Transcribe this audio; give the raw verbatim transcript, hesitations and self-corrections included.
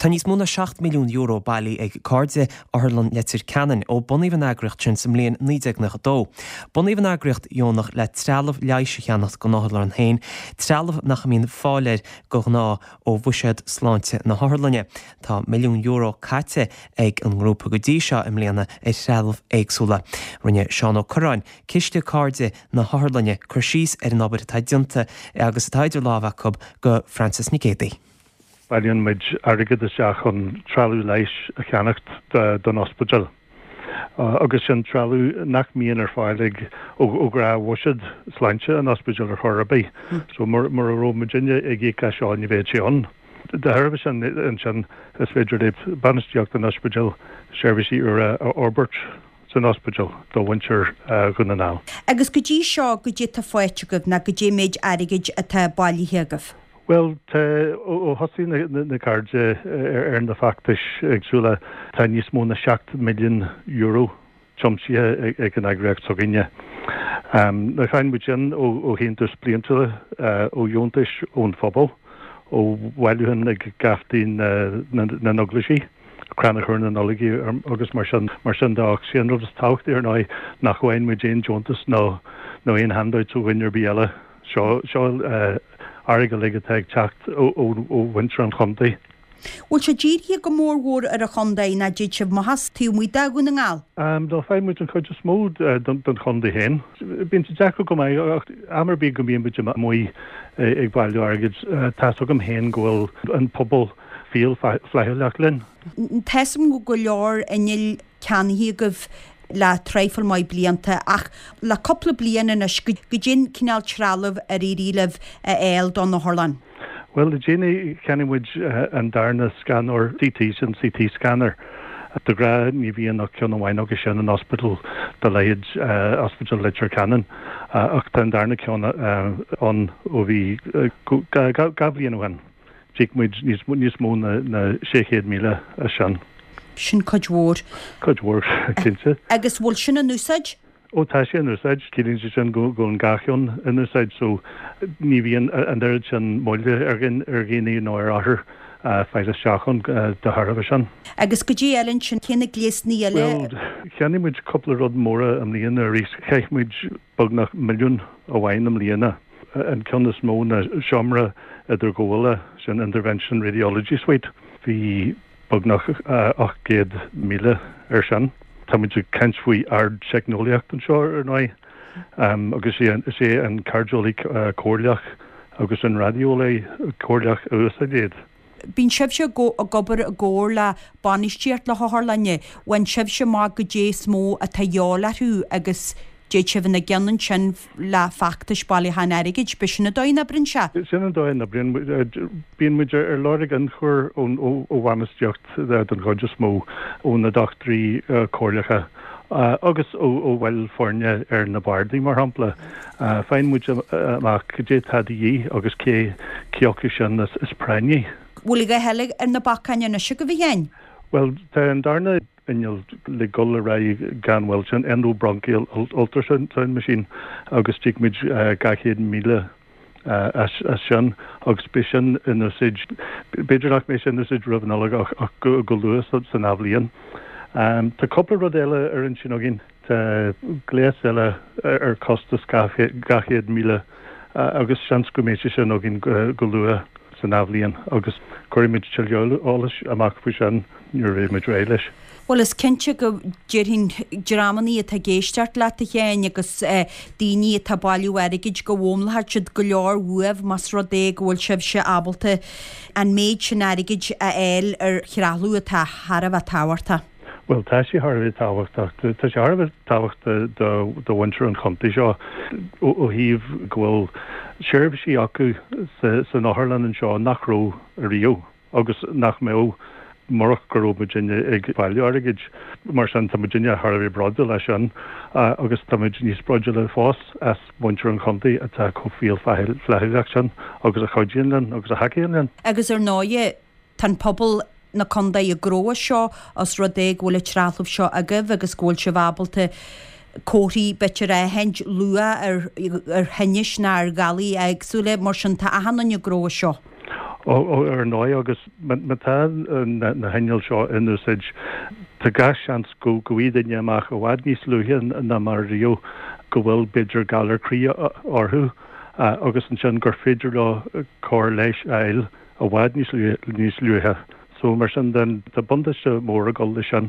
Tá níos mó ná seacht milliún euro bailithe ag Cairde Otharlann Leitir Ceanainn ó bunaíodh an eagraíocht sin sa mbliain naoi déag nócha dó. Bunaíodh an eagraíocht dheonach le trealamh leighis a cheannacht don otharlann féin, trealamh nach mbíonn fáil air de ghnáth ó bhuiséad sláinte na hotharlainne. Tá milliún euro caite ag an ngrúpa go dtí seo i mbliana ar threalamh éagsúla. Rinne Seán Ó Cuirreáin, Ciste Cairde na hOtharlainne, cur síos ar an obair atá déanta agus atá idir lámha acu do Frances Nic Géadaigh. Bailíonn muid airgead isteach chun trealamh leighis a cheannacht don ospidéal. Agus sin trealamh nach mbíonn ar fáil ag ó ghnáthbhuiséad sláinte an ospidéil ar chor ar bith. So mura raibh muidinne ag íoc as seo ní bheadh sé ann. De thairbhe sin ansin is féidir le bainistíocht an ospidéil seirbhísí úra a fhorbairt san ospidéal do mhuintir Dhún na nGall. Agus go dtí seo goidé tá faighte agaibh nó goidé an méid airgid atá bailithe agaibh? Bhuel, tá, ó thosaigh na Cairde ar na feachtais éagsúla, tá níos mó ná seacht milliún euro tiomsaithe ag an eagraíocht s'againne. Now faigheann muid sin ó síntiúis bliantúla, ó dheontais ón phobal, ó bhailiúcháin ag geaftaí na n-eaglaisí, crannchur na Nollag agus mar sin mar sin de. Ach sé an rud is tábhachtaí ar ndóigh nach bhfaigheann muid aon deontas nó aon handouts ó dhuine ar bith eile. Seo airgead uilig atá ag teacht ó mhuintir an chontae. Bhfuil sé dírithe go mór mhór ar an chontae nó dtéann sibh amach as taobh amuigh de Dhún na nGall? No, faigheann muid an chuid is mó don chontae féin. Bíonn sé deacair go maith ach am ar bith go mbíonn muid amuigh ag bailiú airgid, tá's agam féin go bhfuil an pobal fial flaithiúlach linn. Tá's agam go bhfuil go leor innill ceannaithe agaibh le traidhfil maith blianta ach le cúpla bliain anois, goidé an cineál trealamh ar éirigh libh a fháil don otharlann? Bhuel, le déanaí cheannaigh muid an darna scanóir C T, sin C T scanner. De ghnáth ní bhíonn ach ceann amháin acu sin in ospidéal de leithéid Ospidéal Leitir Ceanainn ach tá an darna ceann ann ó bhí dhá bhliain ó shin. D'íoc muid níos mó ná sé chéad míle as sin. Sin cuid mhór. Cuid mhór, cinnte. Agus bhfuil sin in úsáid? Ó, tá sé in úsáid. Ciallaíonn sé sin go bhfuil an dhá cheann in úsáid so ní bhíonn an oiread sin moille ar dhaoine nó ar othair fáil isteach ann de thairbhe sin. Agus goidé eile ansin, cé na gléasanna eile? Bhuel, cheannaigh muid cúpla rud móra i mbliana arís. Chaith muid beagnach milliún amháin i mbliana. An ceann is mó ná seomra idirghabhála, sin Intervention Radiology Suite. Bhí beagnach ocht gcéad míle air sin. Tá muid ag caint faoi ardteicneolaíocht anseo, ar ndóigh, agus is é an cairdeolaí comhairleach agus an raideolaí comhairleach a úsáideann iad. Bíonn sibhse ag obair i gcomhar le bainistíocht na hotharlainne. Faigheann sibhse amach goidé is mó atá de dhíobháil orthu agus téann sibh ina gcionn ansin le feachtais bailiúcháin airgid. B'shin an dóigh a n-oibríonn sé? Sin an dóigh a n-oibríonn. Bíonn muid ar lorg ionchur ó bhainistíocht den chuid is mó, ó na dochtúirí comhairleacha agus ó bhaill foirne ar na bardaí, mar shampla. Faigheann muid amach cad é atá de dhíth agus cé acu sin is práinní. Bhfuil a dhath eile ar na bacáin anois agaibh, a Sheáin? Bhuel, tá an darna inneall le dul ar aghaidh gan mhoill, sin endobronchial ultrasound machine agus d'íoc muid dhá chéad míle as sin agus beidh sin in úsáid, b'fhéidir nach mbeidh sé in úsáid roimh an Nollaig ach go luath san athbhliain. Tá cúpla rud eile ar intinn againn, tá gléas eile ar costas dhá chéad míle agus seans go mbeidh sé sin againn go luath san athbhliain agus cuirfidh muid tuilleadh eolais amach faoi sin nuair a bheidh muid réidh leis. Bhuel, is cinnte go déarfainn dreamannaí atá ag éisteacht leat, a Sheáin, agus daoine atá ag bailiú airgid go bhfoghlaimeoidh siad go leor uaibh más rud é go bhfuil sibhse ábalta an méid sin airgid a fháil ar threalamh atá thar a bheith tábhachtach. Bhuel, tá sé thar a bheith tábhachtach. Tá sé thar a bheith tábhachtach do mhuintir an chontae seo ó thaobh go bhfuil seirbhísí acu san otharlann anseo nach raibh ariamh agus nach mbeadh murach go raibh muidinne ag bailiú airgid. Mar sin, tá muidinne thar a bheith bródúil as sin agus tá muid níos bródúla fós as muintir an chontae atá chomh fial flaithiúlach sin agus a chuidíonn linn agus a thacaíonn linn. Agus ar ndóighe, tá an pobal na contae ag gnóthú as seo os rud é go bhfuil an trealamh seo agaibh agus go bhfuil sibh ábalta comharthaí b'fhéidir a aithint luath ar ar thinnis nó ar ghalair éagsúla, mar sin tá achan duine ag gnóthú as seo. Ó, ar ndóigh, agus má tá na hinnill seo in úsáid, tá gach seans go bhfaighidh duine amach i bhfad níos luaithe ná mar riamh go bhfuil, b'fhéidir, galar croí orthu agus ansin gur féidir leo cóir leighis a fháil i bhfad níos luaithe. So, mar sin den, tá buntáiste mór ag dul leis sin.